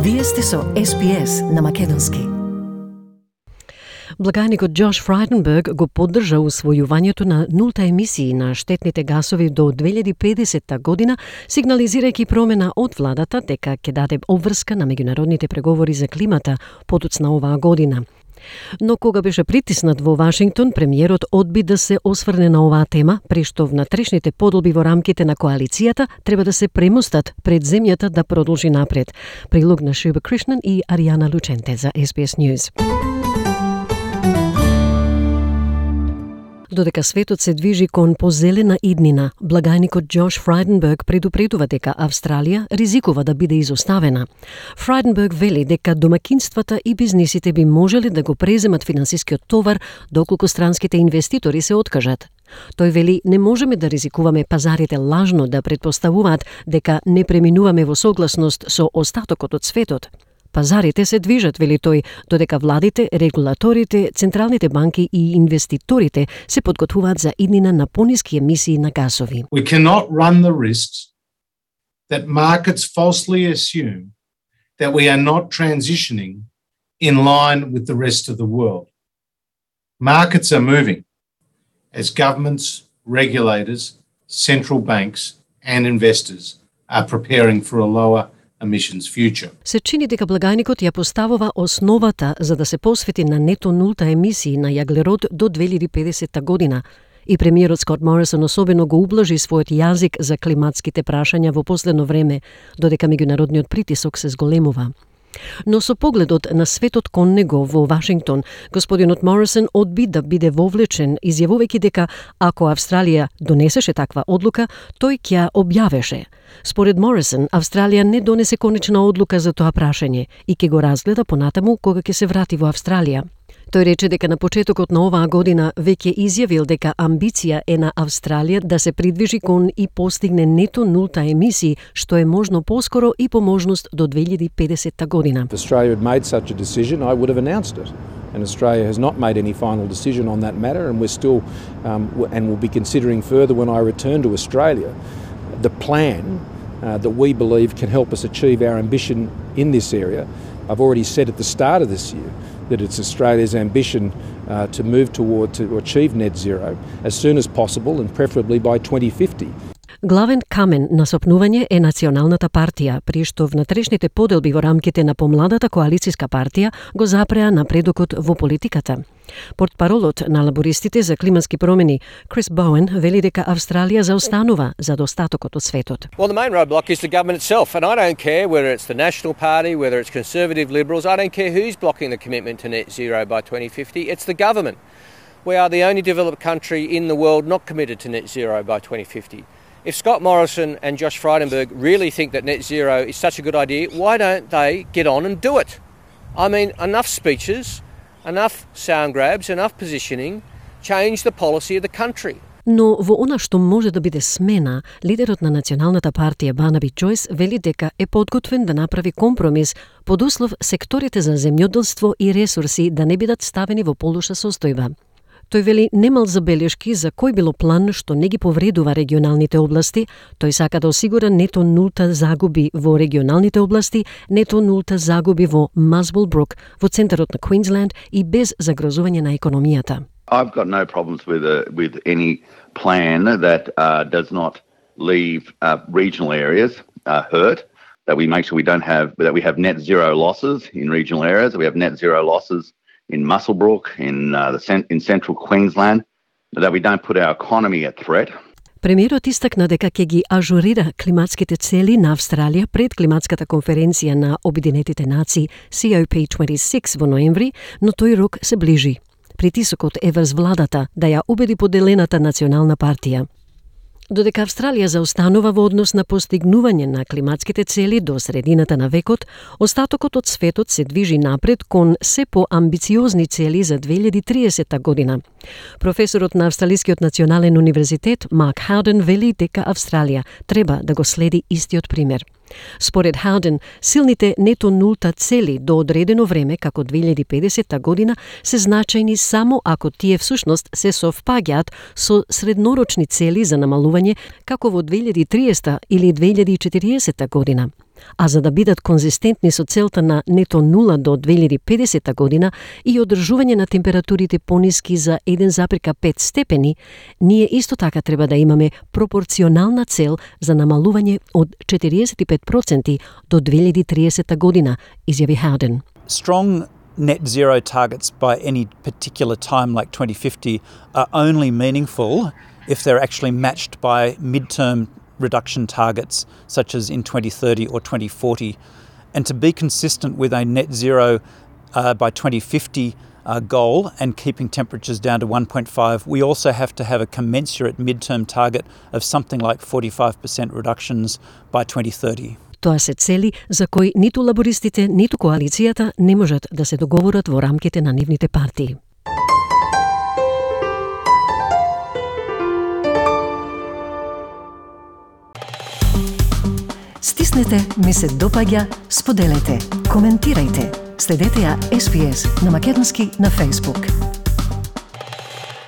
Вие сте со SPS на македонски. Благајникот Джош Фрайденберг го поддржа усвојувањето на нулта емисии на штетните гасови до 2050 година, сигнализирајќи промена од владата дека ќе даде обврска на меѓународните преговори за климата подоцна оваа година. Но кога беше притиснат во Вашингтон, премиерот одби да се осврне на оваа тема, при што внатрешните подолби во рамките на коалицијата треба да се премостат пред земјата да продолжи напред. Прилог на Шуба Кришнан и Аријана Лученте за SBS News. Додека светот се движи кон позелена иднина, благајникот Джош Фрайденберг предупредува дека Австралија ризикува да биде изоставена. Фрайденберг вели дека домакинствата и бизнисите би можеле да го преземат финансискиот товар доколку странските инвеститори се откажат. Тој вели не можеме да ризикуваме пазарите лажно да предпоставуваат дека не преминуваме во согласност со остатокот од светот. Пазарите се движат, вели тој, додека владите, регулаторите, централните банки и инвеститорите се подготвуваат за иднина на пониски емисии на гасови. We cannot run the risks that markets falsely assume that we are not transitioning in line with the rest of the world. Markets are moving as governments, regulators, central banks and investors are preparing for a lower emissions future. Се чини дека благајникот ја поставува основата за да се посвети на нето нулта емисии на јаглерод до 2050 година. И премиерот Скот Морисон особено го ублажи својот јазик за климатските прашања во последно време, додека меѓународниот притисок се зголемува. Но со погледот на светот кон него во Вашингтон, господинот Морисон одби да биде вовлечен, изјавувајќи дека ако Австралија донесеше таква одлука, тој ќе објавеше. Според Морисон, Австралија не донесе конечна одлука за тоа прашање и ќе го разгледа понатаму кога ќе се врати во Австралија. Тој рече дека на почетокот на оваа година веќе изјавил дека амбиција е на Австралија да се придвижи кон и постигне нето нулта емисии, што е можно поскоро и по можност до 2050 година. If Australia had made such a decision, I would have announced it. And Australia has not made any final decision on that matter, and we're still and will be considering further when I return to Australia the plan that we believe can help us achieve our ambition in this area. I've already said at the start of this year that it's Australia's ambition to move to achieve net zero as soon as possible and preferably by 2050. Главен камен на сопнување е Националната партија, при што внатрешните поделби во рамките на помладата коалицијска партија го запреа напредокот во политиката. Портпаролот на лабористите за климатски промени Крис Боуен вели дека Австралија заостанува за достатокот од светот. Well, the main roadblock is the government itself, and I don't care whether it's the National Party, whether it's Conservative Liberals, I don't care who's blocking the commitment to net zero by 2050, it's the government. We are the only developed country in the world not committed to net zero by 2050. If Scott Morrison and Josh Frydenberg really think that net zero is such a good idea, why don't they get on and do it? I mean, enough speeches, enough sound grabs, enough positioning, change the policy of the country. Но во она што може да биде смена, лидерот на Националната партија Барнаби Джойс вели дека е подготвен да направи компромис под услов секторите за земјоделство и ресурси да не бидат ставени во полоша состојба. Тој вели немал забелешки за кој било план што не ги повредува регионалните области. Тој сака да осигура нето нулта загуби во регионалните области, нето нулта загуби во Muswellbrook, во центарот на Queensland и без загрозување на економијата. I've got no problems with any plan that does not leave regional areas hurt. That we make sure we have net zero losses in regional areas. That we have net zero losses in Muswellbrook, in central Queensland, that we don't put our economy at threat. Премиерот истакна дека ќе ги ажурира климатските цели на Австралија пред климатската конференција на Обединетите нации COP26 во ноември, но тој рок се ближи. Притисокот е врз владата да ја убеди поделената Национална партија. Додека Австралија заостанува во однос на постигнување на климатските цели до средината на векот, остатокот од светот се движи напред кон се поамбициозни цели за 2030 година. Професорот на Австралискиот национален универзитет Марк Хауден вели дека Австралија треба да го следи истиот пример. Според Хауден, силните нето нулта цели до одредено време, како 2050 година, се значајни само ако тие всушност се совпаѓаат со среднорочни цели за намалување, како во 2030 или 2040 година. а за да бидат конзистентни со целта на нето нула до 2050 година и одржување на температурите пониски за 1,5 степени, ние исто така треба да имаме пропорционална цел за намалување од 45% до 2030 година, изјави Howden. Strong net zero targets by any particular time like 2050 are only meaningful if they're actually matched by midterm reduction targets such as in 2030 or 2040. And to be consistent with a net zero by 2050 goal and keeping temperatures down to 1.5, we also have to have a commensurate midterm target of something like 45% reductions by 2030. Тоа се цели за кои ниту лабористите, ниту коалицијата не можат да се договорат во рамките на нивните партии. Стиснете, ми се допаѓа, споделете, коментирајте. Следете ја SPS на Македонски на Facebook.